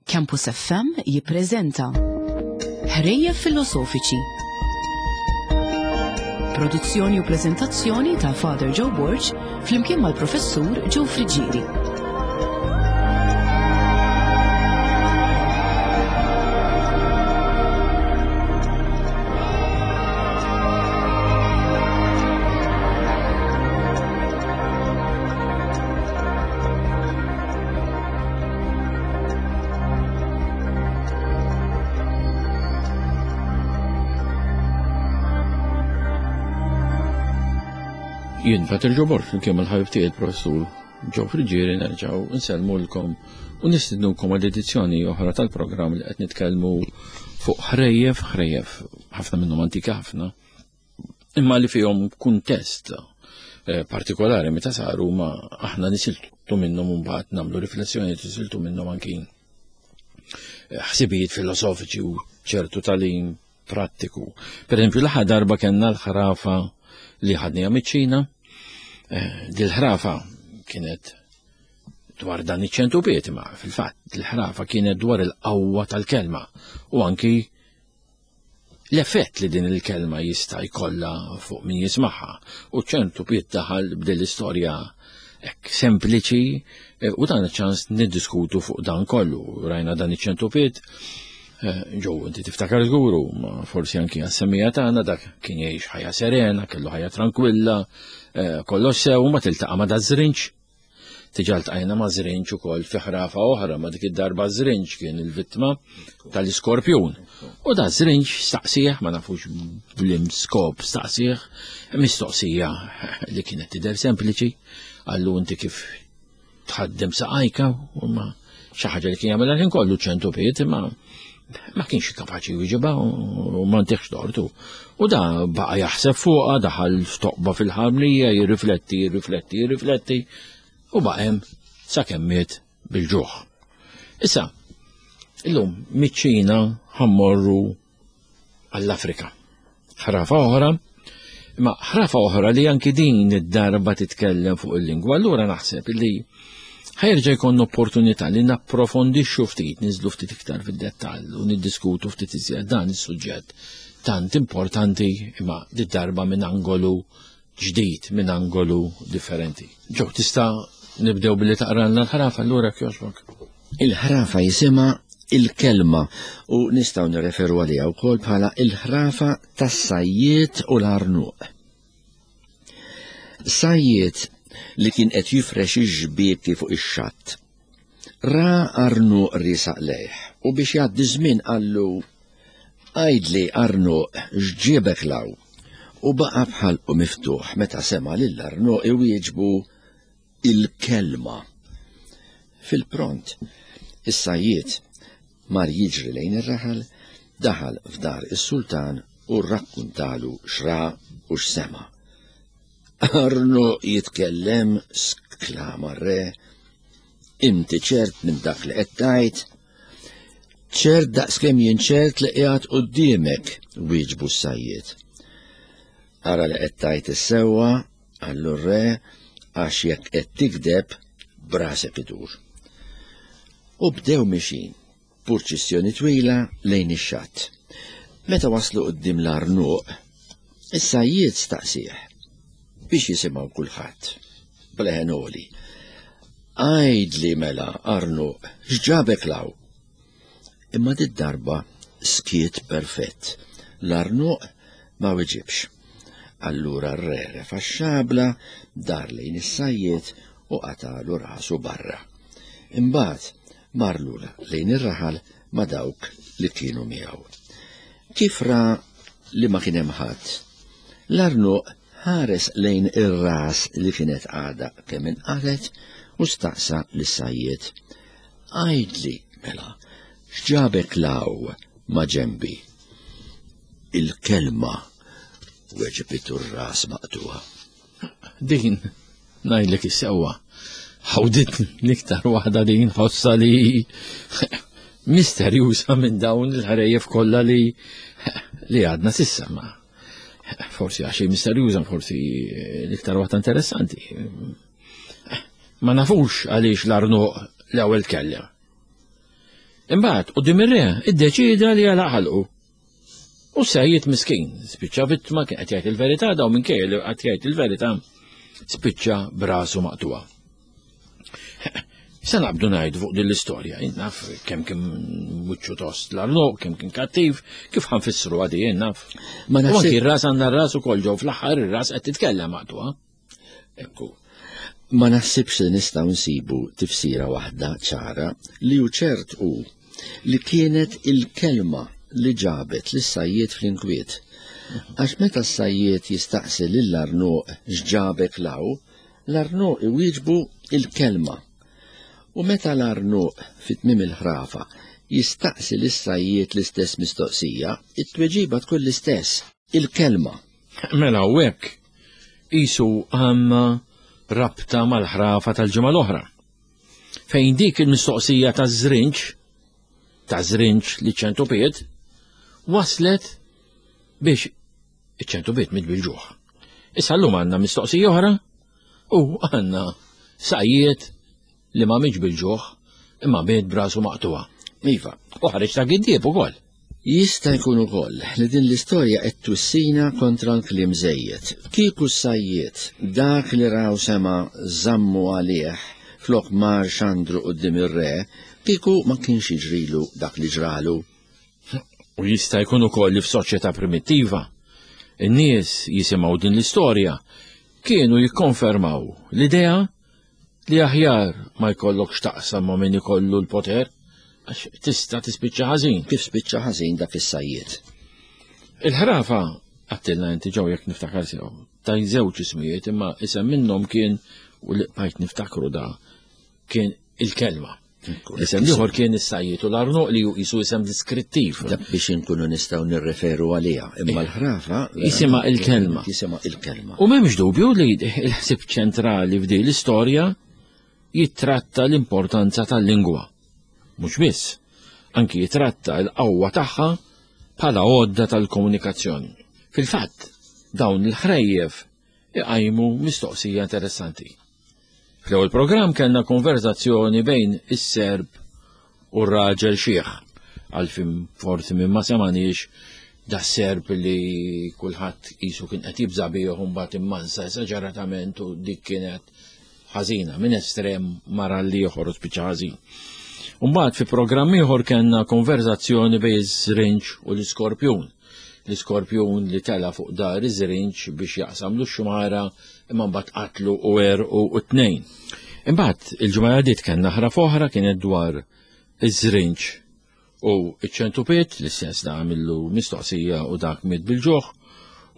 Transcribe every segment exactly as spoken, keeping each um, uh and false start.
Campus F M jippreżenta Ħrejjef Filosofiċi. Produzzjoni u preżentazzjoni ta' Father Joe Borg flimkien mal-Professur Joe Friggieri. Jien Father Joe Borg, flimkien mal-ħabib tiegħi il-Professur Joe Friggieri, nerġgħu nsellmulkom u nistednukom għal edizzjoni oħra tal-programm li qed nitkellmu fuq ħrejjef, ħrejjef ħafna minnhom antika ħafna, imma li fihom kuntest, eh, partikolari meta saru, ma aħna nisiltu minnhom u mbagħad nagħmlu riflessjoni, nisiltu minnhom anki ħsibijiet filosofiċi u ċertu tagħlim prattiku. Per eżempju, l-aħħar darba kellna l-ħrafa li ħadniha miċ-Ċina. Eh, dil-ħrafa kienet dwar dan iċ-ċentupiet, ma fil-fatt il-ħrafa kienet dwar il-qawwa tal-kelma u anki l-effett li din il-kelma jista' jkollha fuq min jismagħha. U ċ-ċentupiet daħal b'din l-istorja hekk sempliċi, eh, u dan iċ-ċans niddiskutu fuq dan kollu. Rajna dan iċ-ċentupiet, eh, Joe, inti tiftakar żguru, ma forsi anki għas-semmija tagħna, dak kien jgħix ħajja serena, kellu ħajja tranquilla, eh, kollox sew, ma tiltaqa' ma da żrinġ. Diġà ltqajna ma' żrinġ ukoll fi ħrafa oħra, ma dik id-darba żrinġ kien il-vittma tal-iskorpjun. U da żrinġ staqsih, ma nafux blim skop staqsih, mistoqsija li kienet tidher sempliċi, qallu inti kif tħaddem saqajka, u ma xi ħaġa li kien jagħmilha l-ħin kollu ċentupiet, imma ma kienx kapaċi jwieġibha u ma ntihx tortu. U da baqa' jaħseb fuqha, daħal f'toqba fil-ħamrija, jirrifletti, jirrifletti, jirrifletti, u baqa' hemm sakemm miet bil-ġuħ. Issa, illum miċ-Ċina ħammorru għall-Afrika. Ħrafa oħra, imma ħrafa oħra li anki din id-darba titkellem fuq il-lingwa, allura naħseb li ħajerġa' jkollna opportunità li napprofondixxu ftit, niżlu ftit iktar fid-dettall u niddiskutu ftit iżjed dan is-suġġett tant importanti, imma did-darba minn angolu ġdid, minn angolu differenti. Joe, tista' nibdew billi taqralna l-ħrafa allura kjoġbok? Il-ħrafa jisimha il-kelma u nistgħu nirreferu għaliha wkoll bħala il-ħrafa tas-sajjied u l-għarnuq. Sajjied li kien qed jifrex ix-xbieki fuq ix-xatt. Ra għarnuq riesaq lejh u biex jgħaddi żmien qallu: Għidli għarnuq x'ġiebek law? U baqa' b'ħalqu miftuħ meta sema' lil għarnuq iwieġbu il-kelma. Fil-pront, is-sajjied mar jiġri lejn ir-raħal, daħal f'dar is-sultan u rrakkuntalu x'ra u x'sema'. Għarnuq jitkellem, sklama r-re, inti ċert minn dak li qed tgħid? Ċert daqskemm jien ċert li qiegħed quddiemek, wieġbu s-sajjied. Ara li qed tgħid is-sewwa, qallu r-re, għax jekk qed tikdeb brasek idur. U bdew mixin, purċissjoni twila lejn ix-xatt. Meta waslu quddiem l-għarnuq, is-sajjied staqsih biex jisimgħu kulħadd b'leħen għoli. Għidli mela, għarnuq, x'ġabek law? Imma did-darba skiet perfett. L-għarnuq ma weġibx. Allura r-re refa' x-xabla, dar lejn is-sajjied u qatalu rasu barra. Imbagħad mar lura lejn ir-raħal ma' dawk li kienu miegħu. Kif ra li ma kien hemm ħadd, l-għarnuq ħares lejn ir-ras li kienet għadha kemm inqalet u staqsa lis-sajjied: Għidli mela, x'ġabek law ma' ġembi? Il-kelma, weġbitu r-ras maqtuha. Din, ngħidlek is-sewwa, ħawditni l-iktar waħda din ħossa li misterjuża minn dawn il-ħrejjef kollha li, li għadna sissa, ma forsi għax misterjuża, forsi l-iktar waħda interessanti. Ma nafux għaliex l-għarnuq l-ewwel tkellem. Imbagħad quddiem ir-re iddeċieda li jagħlaq ħalqu. U s-sajjied miskin, spiċċa vittma kien qed jgħid il-verità daw minkejja li qed jgħid il-verità spiċċa brasu maqtuha. Se naqbdu ngħidu fuq din l-istorja, naf kemm kien wiċċu tost l-arnoq, kemm kien kattiv, kif ħanfissru għadi jien naf. Ma U naħseb anki r-ras għandna r-ras ukoll ġew fl-aħħar ir-ras qed titkellem maqtuha. Ekku. Ma naħsibx li nistgħu nsibu tifsira waħda ċara li hu ċert hu li kienet il-kelma li ġabet lis-sajjied fl-inkwiet. Għax meta s-sajjied jistaqsi lill-arnuq x'ġabek law, l-arnuq iwieġbu il-kelma. U meta l-arnuq fit-tmiem il-ħrafa jistaqsi lis-sajjied l-istess mistoqsija, it-tweġiba tkun l-istess, il-kelma. Mela u hekk qisu għandna rabta mal-ħrafa tal-ġimgħa l-oħra. Fejn dik il-mistoqsija ta' żrinġ, ta' żrinġ li ċentupiet, waslet biex iċ-ċentupiet miet bil-ġuħ. Issa llum għandna mistoqsija oħra u għandna sajjied li ma mietx bil-ġuħ imma miet brasu maqtuha. Iva, U ħareġ ta' giddieb ukoll. Jista' jkun ukoll li din l-istorja qed twissina kontra l-kliem żejjed. Kieku s-sajjied dak li raw sema żammu għalih flok mar xandru quddiem ir-re, kieku ma kienx jiġrilu dak li ġralu. U jista' jkun ukoll li f'soċjetà primittiva in-nies jisimgħu din l-istorja kienu jikkonfermaw l-idea li aħjar ma jkollokx taqsam ma' min ikollu l-poter għax tista' tispiċċa ħażin. Kif spiċċa ħażin dak is-sajjied. Il-ħrafa għattilna inti ġew jekk niftakar sew. Ta' żewġ ismijiet imma isem minnhom kien u li bqajt niftakru da kien il-kelma. Isem ieħor kien is-sajjied u l-arnuq li qisu isem diskrittiv. Dak biex inkunu nistgħu nirreferu għaliha, imma l-ħrafa Jisimha il-kelma. Jisimha il-kelma. U m'hemmx dubju li l-ħsieb ċentrali f'din l-istorja jittratta l-importanza tal-lingwa. Mhux biss, anki jitratta l-qawwa tagħha bħala għodda tal-komunikazzjoni. Fil-fatt, dawn il-ħrejjef iqajmu mistoqsija interessanti. Fl-ewwel programm kellna konverzazzjoni bejn is-Serb u r-raġel xiħ. Għalfim forsi minn ma semaniex da Serb li kulħadd qisu kien qed jibża' bih u mbagħad immansa esaġeratament u dik kienet ħażina minn estrem mara l-ieħor u spiċċa ħażin. Mbagħad fi programm ieħor kellna konverzazzjoni bejn iż-żrinġ u l-iskorpjun. L-iskorpjun li tela fuq dar iż-żrinġ biex jaqsam l-xumara imma mbagħad qatlu u għerqu u tnejn. Imbagħad il-ġimgħa li għaddiet kellna ħrafa oħra kienet dwar iż-żrinġ u iċ-ċentupiet, l-istess da għamillu mistoqsija u dak miet bil-ġuħ,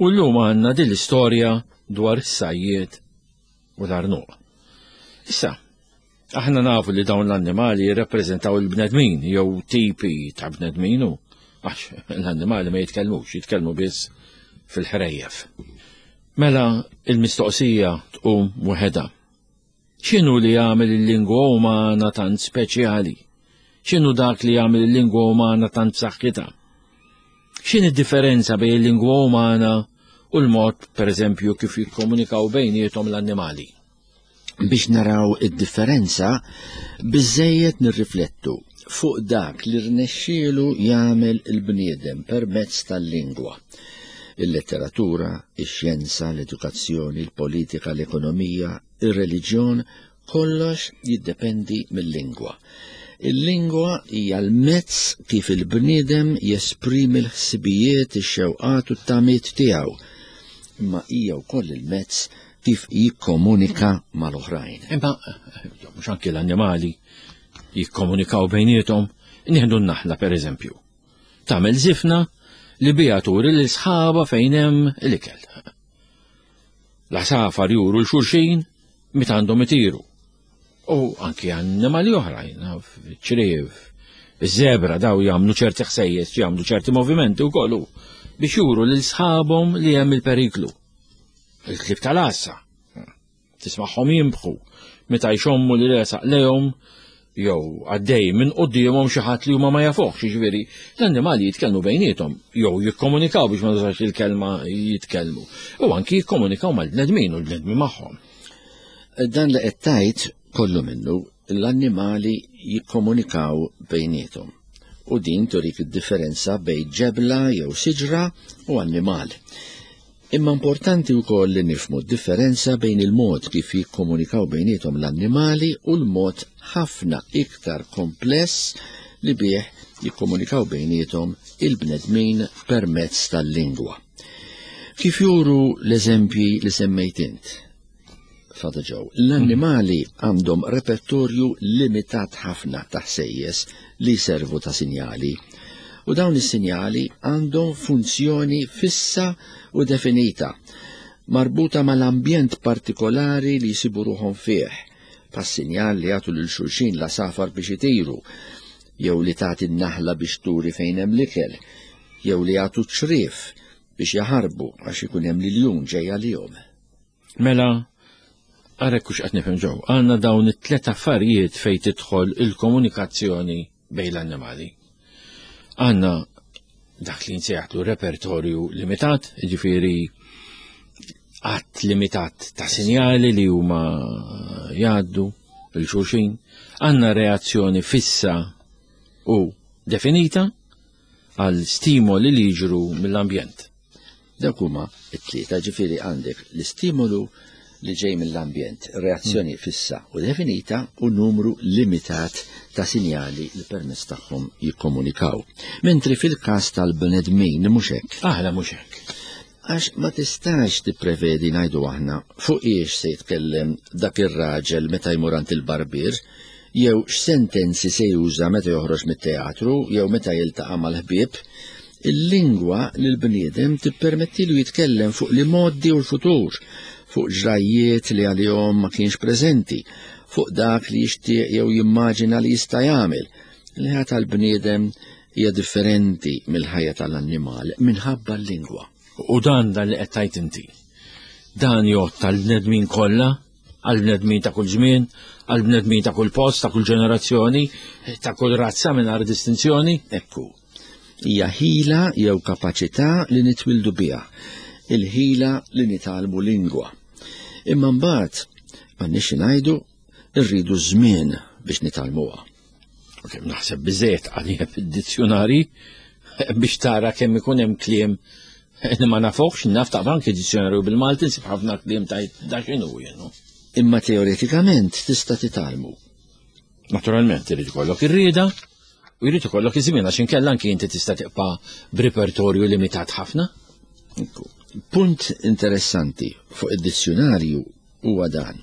u llum għandna din l-istorja dwar is-sajjied u l-arnuq. Issa, aħna nafu li dawn l-annimali jirrappreżentaw il-bnedmin jew tipi ta' bnedmin u għax l-annimali ma jitkellmux, jitkellmu biss fil-ħrejjef. Mela il-mistoqsija tqum waħedha. X'inhu li jagħmel il-lingwa umana tant speċjali? X'inhu dak li jagħmel il-lingwa umana tant b'saħħitha? X'inhi d-differenza bejn il-lingwa umana u l-mod, pereżempju, kif jikkomunikaw bejniethom l-annimali? Biex naraw id-differenza, biżejjed nirriflettu fuq dak li rnexxielu jagħmel il-bniedem permezz tal-lingwa. Il-letteratura, ix-xjenza, l-edukazzjoni, il-politika, l-ekonomija, ir-reliġjon, kollox jiddependi mill-lingwa. Il-lingwa hija l-mezz kif il-bniedem jesprimi l-ħsibijiet, ix-xewqat u t-tamiet tiegħu. Imma hija wkoll il-mezz kif jikkomunika mal-oħrajn. Imma mhux anki l-annimali jikkomunikaw bejniethom, nieħdu n-naħla pereżempju. Tagħmel żifna li biha turi lil sħaba fejn hemm l-ikel. L-għasafar juru l-xulxin meta għandhom itiru. U anki annimali oħrajn, ċriev, iż-żebra daw jagħmlu ċerti ħsejjes, jagħmlu ċerti movimenti wkoll biex juru lil sħabhom li hemm il-periklu. Il-klib tal-għassa, tismagħhom jinbħu meta jxommu li resaq lejhom jew għaddej minn quddiemhom xi ħadd li huma ma jafuhx, jiġifieri l-annimali jitkellmu bejniethom jew jikkomunikaw biex ma nużax il-kelma jitkellmu. U anki jikkomunikaw mal-bnedmin u l-bnedmin magħhom. Dan li qed tgħid kollu minnu l-annimali jikkomunikaw bejniethom. U din turik id-differenza bejn ġebla jew siġra u annimal. Imma importanti wkoll li nifhmu d-differenza bejn il-mod kif jikkomunikaw bejniethom l-annimali u l-mod ħafna iktar kompless li bih jikkomunikaw bejniethom il-bnedmin permezz tal-lingwa. Kif juru l-eżempji li semmejt int, Father Joe, l-annimali għandhom repertorju limitat ħafna ta' ħsejjes li servu ta' sinjali. U dawn is-sinjali għandhom funzjoni fissa u definita, marbuta mal-ambjent partikolari li jsibu ruħhom fih, bħas-sinjal li jagħtu lil xulxin l-għasafar biex itiru, jew li tagħti n-naħla biex turi fejn hemm l-ikel, jew li jagħtu ċriev biex jaħarbu għax ikun hemm l-iljun ġej għalihom. Mela, għarek kux qed nifhem ġew, għandna dawn it-tlet affarijiet fejn tidħol il-komunikazzjoni bejn l-annimali. Għandna dak li nsejħlu repertorju limitat, ġifieri għadd limitat ta' sinjali li huma jgħaddu lil xulxin, għandna reazzjoni fissa u definita għal stimoli li jiġru mill-ambjent. Dawk huma t-tlieta, ġifieri għandek l-istimolu li ġej mill-ambjent, reazzjoni fissa u definita u numru limitat ta' sinjali li permezz tagħhom jikkomunikaw. Mentri fil-każ tal-bnedmin mhux hekk. Aħna mhux hekk. Għax ma tistax tipprevedi, ngħidu aħna, fuq iex se jitkellem dak ir-raġel meta jmur għand il-barbier, jew x'sentenzi se juża meta joħroġ mit-teatru, jew meta jiltaqa' mal-ħbieb. Il-lingwa li l-bniedem tippermettilu jitkellem fuq l-imgħoddi u l-futur, fuq ġrajjiet li għalihom ma kienx preżenti, fuq dak li jixtieq jew jimmaġina li jista' jagħmel. Il-ħajja tal-bniedem hija differenti mill-ħajja tal-annimal minħabba l-lingwa. U dan dan li qed tgħid inti. Dan jgħodd għall-bnedmin kollha, għall-bnedmin ta' kull żmien, għall-bnedmin ta' kull post, ta' kull ġenerazzjoni, ta' kull razza mingħajr distinzjoni. Ekku, hija ħila jew kapaċità li nitwildu biha, il-ħila li nitgħallmu lingwa. Imma mbagħad m'għandniex ngħidu rridu żmien biex nitgħallmuha. Ok, naħseb biżejjed għalija fid-dizzjonari biex tara kemm ikun hemm kliem li ma nafux, naf taqra anke dizzjonarju bil-Malti nsib ħafna kliem tajt da x'inhu jenu. Imma teoretikament tista' titgħallmu. Naturalment irid ikollok ir-rieda u jrid ikollok iż-żmien għax inkella anke inti tista' tibqa' b'repertorju limitat ħafna. Ekku. Punt interessanti fuq id-dizzjonarju huwa dan.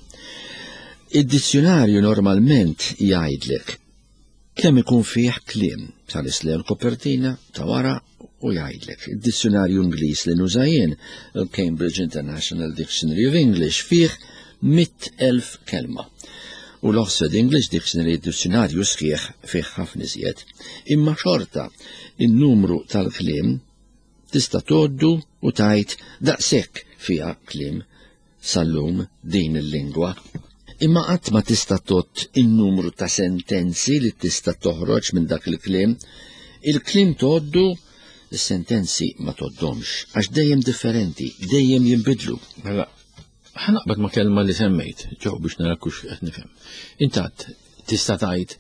Id-dizzjonarju normalment jgħidlek kemm ikun fih kliem, tħares lejn il-kopertina ta' wara u jgħidlek. Id-dizzjonarju Ingliż li nuża jien, il-Cambridge International Dictionary of English, fih mitt elf kelma. U l-Oxford English Dictionary, id-dizzjonarju sħiħ, fih ħafna iżjed. Imma xorta in-numru tal-kliem tista' tgħoddu u tgħid daqshekk fiha kliem sal-lum din il-lingwa. Imma qatt ma tista' tgħodd in-numru ta' sentenzi li tista' toħroġ minn dak il-kliem. Il-kliem tgħoddu, is-sentenzi ma tgħoddhomx, għax dejjem differenti, dejjem jinbidlu. Mela, ħa naqbad ma' kelma li semmejt, ġew biex nara kux qed nifhem. Intant, tista' tgħid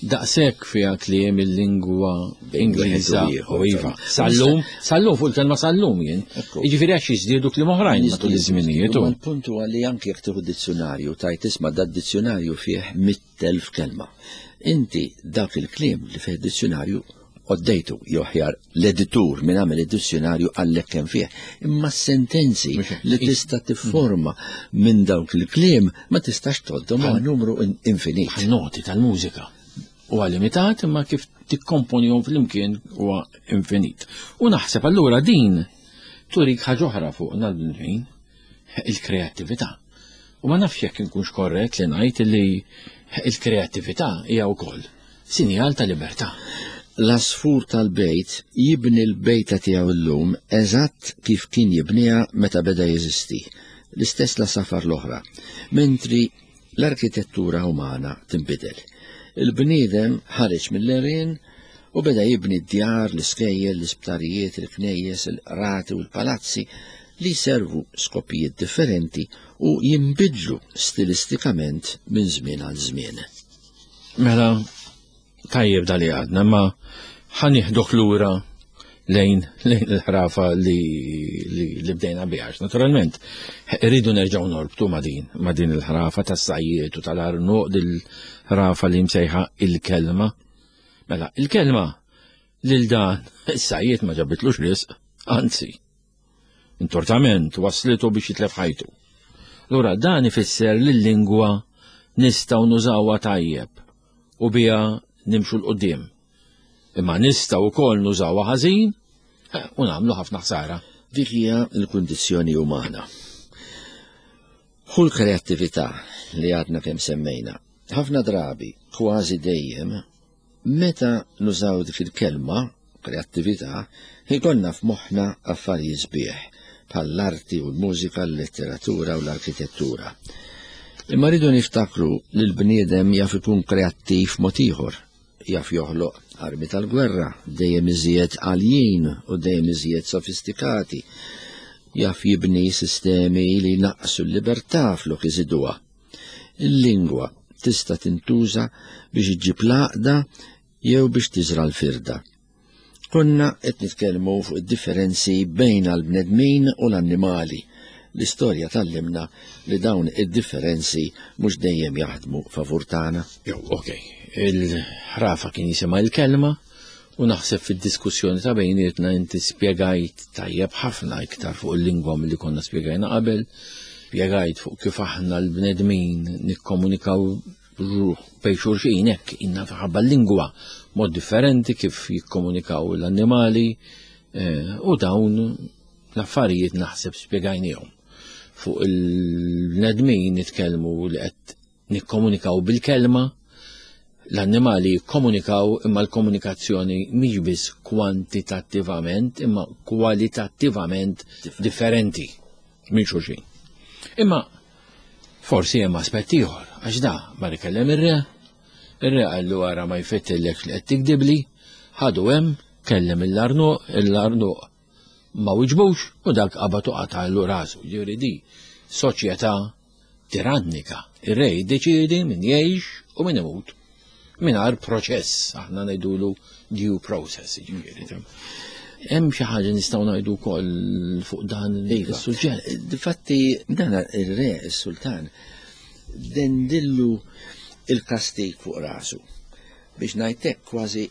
daqshekk fiha kliem il-lingwa Ingliża u iva. Sal-lum, sal-lum fuq il-kelma sal-lum jien. Ekku. Jiġifieri għax jiżdiedu kliem oħrajn matul iż-żminijiet. Imma l-punt huwa li anke jekk tieħu dizzjonarju tajt isma' da dizzjonarju fih mitt elf kelma. Inti dak il-kliem li fih dizzjonarju għoddejtu, jew aħjar l-editur minn għamel id-dizzjonarju għallek kemm fih. Imma s-sentenzi Mhux hekk. li tista' tifforma minn dawk il-kliem ma tistax tgħoddhom huwa numru in-, infinit. Bħal noti tal-mużika. Huwa limitat imma kif tikkomponihom flimkien huwa infinit. U naħseb allura din turik ħaġa oħra fuqna l-bnedmin, il-kreattività. U ma nafx jekk inkunx korrett li ngħid li il-kreattività hija wkoll sinjal ta' libertà. L-għasfur tal-bejt jibni l-bejta tiegħu llum eżatt kif kien jibniha meta beda jeżisti, l-istess l-għasafar l-oħra, mentri l-arkitettura umana tinbidel. Il-bniedem ħareġ mill-għerien u beda jibni d-djar, l-iskejjel, l-isptarijiet, il-knejjes, il-qrati u l-palazzi li servu skopijiet differenti u jinbidlu stilistikament minn żmien għal żmien. Mela, tajjeb dali għadna, ma Ħa nieħdok lura lejn lejn il-ħrafa li, li, li bdejna biha. Naturalment, irridu nerġgħu norbtu ma' din, ma' din il-ħrafa tas-sajjiet u tal-arnuq, dil-ħrafa li msejħa il-kelma. Mela, il-kelma lil dan is-sajjiet ma ġabitlux risq, anzi, intortament waslitu biex jitlef ħajtu. Allura dan ifisser li l-lingwa nistgħu nużawha tajjeb u biha nimxu 'l quddiem. Imma nistgħu wkoll nużawha ħażin u nagħmlu ħafna ħsara. Dik hija l-kundizzjoni umana. Hu l-kreattività li għadna kemm semmejna. Ħafna drabi, kważi dejjem, meta nużaw dik il-kelma, kreattività, ikollna f'moħħna affarijiet sbieħ, bħall-arti u l-mużika, l-letteratura u l-arkitettura. Imma rridu niftakru li l-bniedem jaf ikun kreattiv mod ieħor, jaf joħloq armi tal-gwerra, dejjem iżjed għaljin u dejjem iżjed sofistikati, jaf jibni sistemi li naqsu l-libertà flok iżiduha. Il-lingwa tista' tintuża biex iġġib l-għaqda jew biex tiżra l-firda. Konna qed nitkellmu fuq id-differenzi bejn l-bnedmin u l-annimali. L-istorja tgħallimna li dawn id-differenzi mhux dejjem jaħdmu favur tagħna. Jew, okej, il-ħrafa kien jisimha il-kelma u naħseb fid-diskussjoni ta' bejnietna inti spjegajt tajjeb ħafna iktar fuq il-lingwa milli konna spjegajna qabel, spjegajt fuq kif aħna l-bnedmin nikkomunikaw ruħ bejn xulxin hekk inna ħabba l-lingwa mod differenti kif jikkomunikaw l-annimali eh, u dawn l-affarijiet naħseb spjegajnihom. Fuq il-bnedmin nitkellmu li qed nikkomunikaw bil-kelma, l-annimali jikkomunikaw imma l-komunikazzjoni mhix biss kwantitattivament imma kwalitattivament differenti minn xulxin. Imma forsi hemm aspett ieħor, għax da mar ikellem ir-re, ir-re qallu ara ma jfettillek li qed tikdibli, ħadu hemm, kellem il-arnuq, il-arnuq ma wiġbux u dak qabad u qatagħlu rasu. Ġifieri di soċjetà tirannika. Ir-re jiddeċiedi min jgħix u min imut. Mingħajr proċess, aħna ngħidulu due process, ġifieri. Hemm xi ħaġa nistgħu ngħidu wkoll fuq dan Iva. is-suġġett. Difatti, dan ir-re, is-sultan, dendillu il-kastik fuq rasu. Biex ngħidlek kważi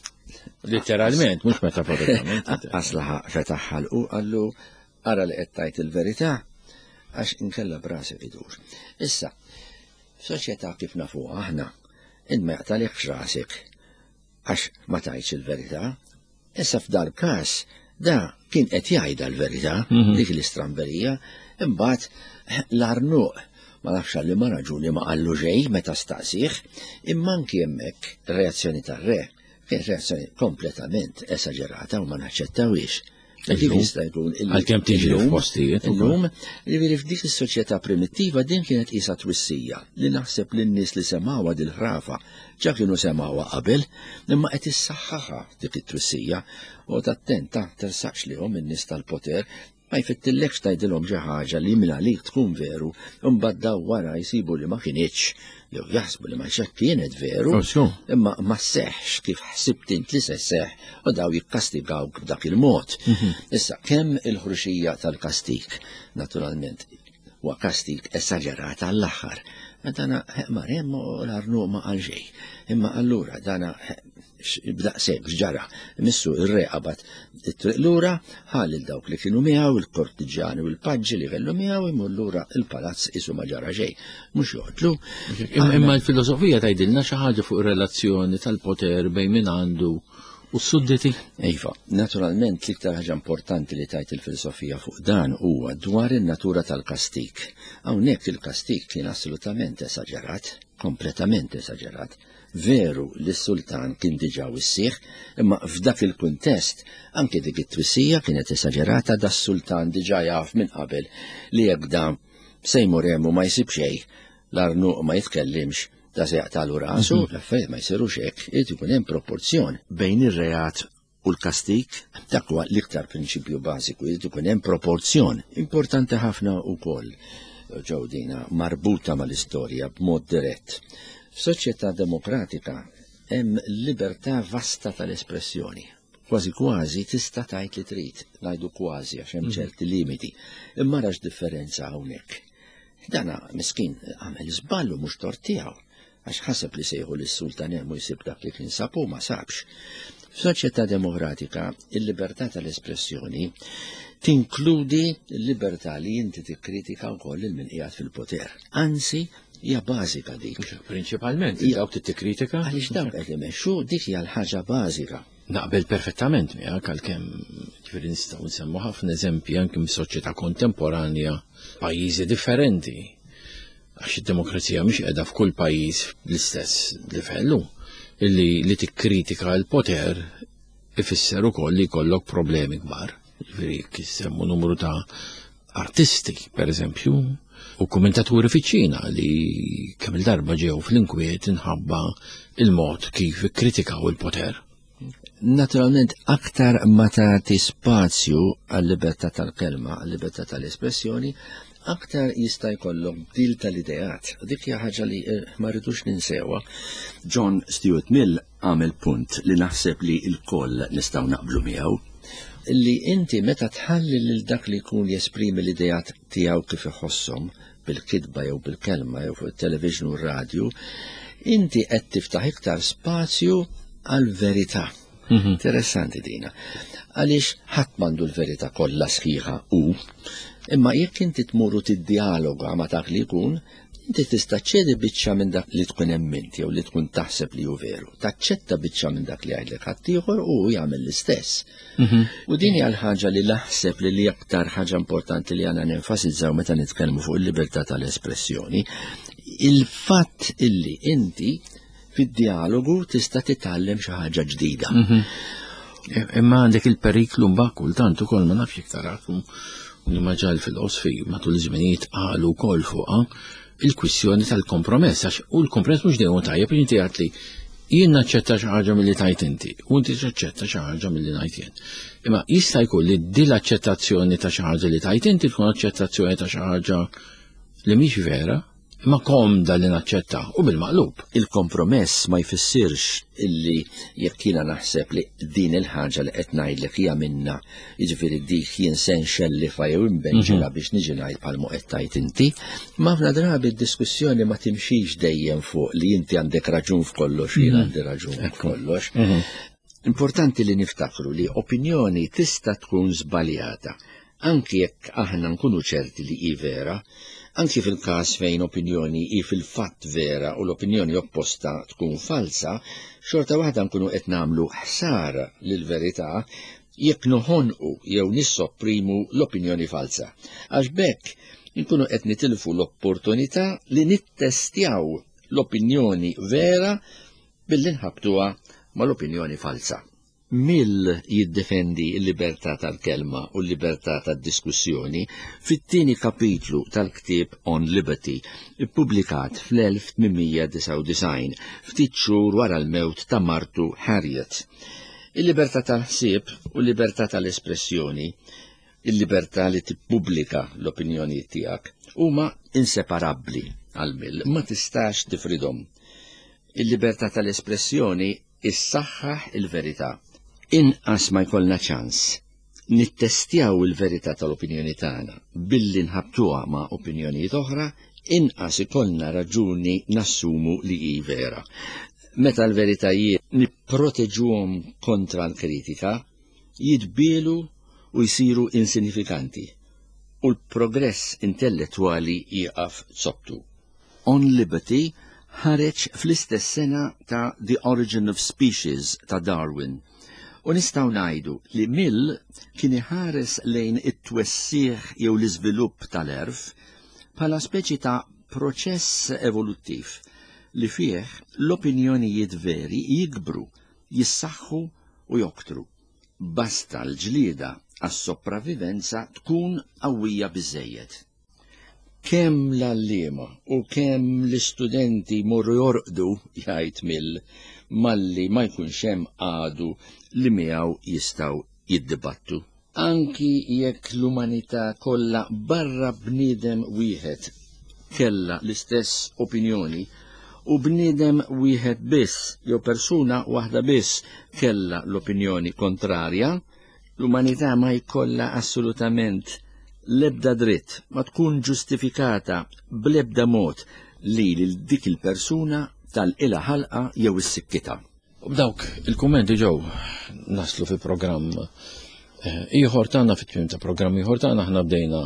Literalment, mhux metaforikament. Aqqas laħaq fetaħ ħalqu qallu ara li qed tgħid il-verità għax inkella b'rasek idur. Issa, f'soċjetà kif nafuha aħna, int ma jaqtalikx rasek għax ma tgħidx il-verità. Issa f'dal każ da kien qed jgħidha l-verità, Mhm. dik l-istramberija, imbagħad l-arnuq ma nafx għal ma raġuni ma qallu xejn meta staqsih, imma anki hemmhekk reazzjoni tar-re kien reazzjoni kompletament esaġerata u ma naċċettawhiex. Kif Illum? jista' jkun illi Għalkemm tiġri illum- f'postijiet ukoll. Illum, jiġifieri f'dik is-soċjetà primittiva din kienet qisha twissija li naħseb li n-nies li semgħuha dil-ħrafa ġa kienu semgħuha qabel, imma qed issaħħaħha dik it-twissija u attenta tersaqx lihom in-nies tal-poter ma jfittillekx tgħidilhom xi ħaġa li minn għalik tkun veru, imbagħad daw wara jsibu li ma kinitx, jew jaħsbu li ma xek kienet veru, Oh, sure. imma ma seħx kif ħsibt int li se seħ u daw jikkastigawk b'dak il-mod. Issa, kemm il-ħruxija tal-kastik, naturalment, huwa kastik esaġerat għall-aħħar. Ma dana mar hemm u l-arnuq ma qal xejn. Imma allura dana b'daqshekk x'ġara. Missu ir-re qabad it-triq lura, ħa lil dawk li kienu miegħu, il-kortiġjani u l-paġġi li kellu miegħu imur lura il-palazz isu ma ġara xejn. Mhux joqtlu. Imma imma l-filosofija tgħidilna xi ħaġa fuq ir-relazzjoni tal-poter bejn min għandu u s-sudditi. Iva, naturalment l-iktar ħaġa importanti li tajt il-filosofija fuq dan huwa dwar in-natura tal-kastik. Hawnhekk il-kastik kien assolutament esaġerat, kompletament esaġerat. Veru li s-sultan kien diġà wissih, imma f'dak il-kuntest anke dik it-twissija kienet esaġerata da s-sultan diġà jaf minn qabel li jekk dan se jmur hemm u ma jsib xejn, l-arnuq ma jitkellimx, da se jaqtalu rasu, l-affarijiet ma jsirux hekk, irid ikun hemm proporzjon bejn ir-reat u l-kastik, dak huwa l-iktar prinċipju bażiku, irid ikun hemm proporzjon. Importanti ħafna wkoll ġew dina marbuta mal-istorja b'mod dirett. F'soċjetà demokratika hemm libertà vasta tal-espressjoni. Kważi kważi tista' tgħid li trid, ngħidu kważi għax hemm ċerti limiti. Imma rax differenza hawnhekk. Dana miskin għamel żball u mhux tort tiegħu, għax ħaseb li sejħu lis-sultan hemm u jsib dak li kien sab u ma sabx. F'soċjetà demokratika, il-libertà tal-espressjoni tinkludi l-libertà li inti tikkritika wkoll lil min qiegħed fil-poter. Anzi, hija bażika dik. Prinċipalment, dawk tikkritika. Għaliex dawk qed imexxu, dik hija l-ħaġa bażika. Naqbel perfettament miegħek, għalkemm ġifieri nistgħu nsemmu ħafna eżempji anke mis-soċjetà kontemporanja, pajjiżi differenti. Għax id-demokrazija mhix qiegħda f'kull pajjiż bl-istess livellu. Illi li tikkritika l-poter ifisser ukoll li jkollok problemi kbar. Ġifieri jekk numru ta' artisti, per eżempju, u kommentaturi fiċ-Ċina li kemm il-darba ġew fl-inkwiet inħabba il-mod kif ikkritikaw il-poter. Naturalment, aktar ma tagħti spazju għal-libertà tal-kelma, għal-libertà tal-espressjoni, aktar jista' jkollok bdil tal-ideat. Dik hija ħaġa li eh, ma rridux ninsewha. John Stuart Mill għamel punt li naħseb li l-koll nistgħu naqblu miegħu, li inti meta tħalli lil dak li jkun jesprimi l-ideat tiegħu kif iħosshom bil-kitba jew bil-kelma jew fuq it-television u r-radju, inti qed tiftaħ iktar spazju għal-verità. Interessanti dina. Għaliex ħadd m'għandu l-verità kollha sħiħa u imma jekk inti tmuru tiddialoga ma' dak li jkun, inti tista' ċedi biċċa minn dak li tkun emmint jew li tkun taħseb li hu veru. Taċċetta biċċa minn dak li jgħidlek ħaddieħor u jagħmel l-istess. U din hija l-ħaġa li naħseb li li aktar ħaġa importanti li għandna nenfasizzaw meta nitkellmu fuq il-libertà tal-espressjoni, il-fatt illi inti fid-dialogu tista' titgħallem xi ħaġa ġdida. Imma għandek il-periklu mbagħad kultant ukoll, ma nafx iktar u li ma ġal filosfi matul iż-żminijiet qalu wkoll fuqha il-kwistjoni tal-kompromess, għax u l-kompromess mhux dejjem tajjeb, inti għedt li jien naċċetta xi ħaġa milli tajt inti u inti taċċetta xi ħaġa milli ngħid jien. Imma jista' jkun li din l-aċċettazzjoni ta' xi ħaġa li tajt inti tkun aċċettazzjoni ta' xi ħaġa li mhix vera, imma komda li naċċetta, u bil-maqlub. Il-kompromess ma jfissirx illi jekk jiena naħseb li din il-ħaġa li qed ngħidlek hija minna, jiġifieri dik jien se nxellifa jew imbenġela biex niġi ngħid bħalma qed tgħid inti. Ma ħafna drabi d-diskussjoni ma timxix dejjem fuq li inti għandek raġun f'kollox, jien għandi raġun f'kollox. Importanti li niftakru li opinjoni tista' tkun żbaljata, anki jekk aħna nkunu ċerti li hi vera, anki fil-każ fejn opinjoni hi fil-fatt vera u l-opinjoni opposta tkun falsa, xorta waħda nkunu qed nagħmlu ħsara lill-verità jekk noħonqu jew nissopprimu l-opinjoni falsa. Għax b'hekk nkunu qed nitilfu l-opportunità li nittestjaw l-opinjoni vera billi nħabtuha mal-opinjoni falsa. Mill jiddefendi l-libertà tal-kelma u l-libertà tad-diskussjoni fit-tieni kapitlu tal-ktieb On Liberty, ippubblikat fl-elf tmien mija disgħa u disgħin, ftit xhur wara l-mewt ta' martu Harriet. Il-libertà tal-ħsieb u l-libertà tal-espressjoni, il-libertà li tippubblika l-opinjoni tiegħek, huma inseparabbli għal Mill, ma tistax tifridhom. Il-libertà tal-espressjoni issaħħaħ il-verità. Inqas ma jkollna ċans nittestjaw il-verità tal-opinjoni tagħna billi nħabtuha ma' opinjonijiet oħra, inqas ikollna raġuni nassumu li hi vera. Meta l-veritajiet nipproteġuhom kontra l-kritika, jitbielu u jsiru insinifikanti u l-progress intellettwali jieqaf zoptu. On Liberty ħareġ fl-istess sena ta' The Origin of Species ta' Darwin. U nistgħu ngħidu li Mill kien iħares lejn it-twessiħ jew l-iżvilupp tal-għerf bħala speċi ta' proċess evoluttiv li fih l-opinjonijiet veri jikbru, jissaħħu u joktru. Basta l-ġlieda għas-sopravivenza tkun qawwija biżejjed. Kemm l-għalliema u kemm l-istudenti morru jorqdu, jgħid Mill, malli ma jkunx hemm għadu li miegħu jistgħu jiddibattu. Anki jekk l-umanità kollha barra bniedem wieħed kella l-istess opinjoni, u bniedem wieħed biss jew persuna waħda biss kellha l-opinjoni kontrarja, l-umanità ma jkollha assolutament l-ebda dritt, ma tkun ġustifikata bl-ebda mod li lil dik il-persuna tal-ila ħalqa jew is-sikkita. U b'dawk il-kummenti ġew naslu fi programm eh, ieħor tagħna, fit-tmiem ta' programm ieħor tagħna. Aħna bdejna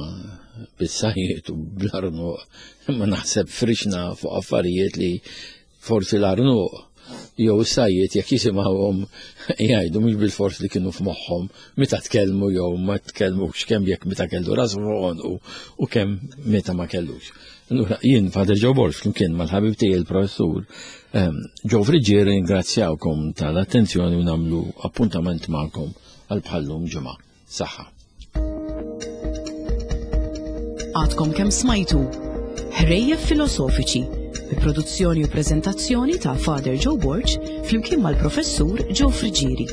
bis-sajjiet u bl-arnuq, imma naħseb frixna fuq affarijiet li forsi l-arnuq jew is-sajjiet jekk jisimgħuhom jgħidu mhux bil-fors li kienu f'moħħhom meta tkellmu jew ma tkellmux, kemm jekk meta kellu rasu fuq u kemm meta ma kellux. Allura jien Father Joe Borg flimkien mal-ħabib tiegħi il-professur ehm, Joe Friggieri ringrazzjawkom tal-attenzjoni u nagħmlu appuntament magħkom għal bħallum ġimgħa. Saħħa. Għadkom kemm smajtu Ħrejjef Filosofiċi bi produzzjoni u preżentazzjoni ta' Father Joe Borg flimkien mal-professur Joe Friggieri.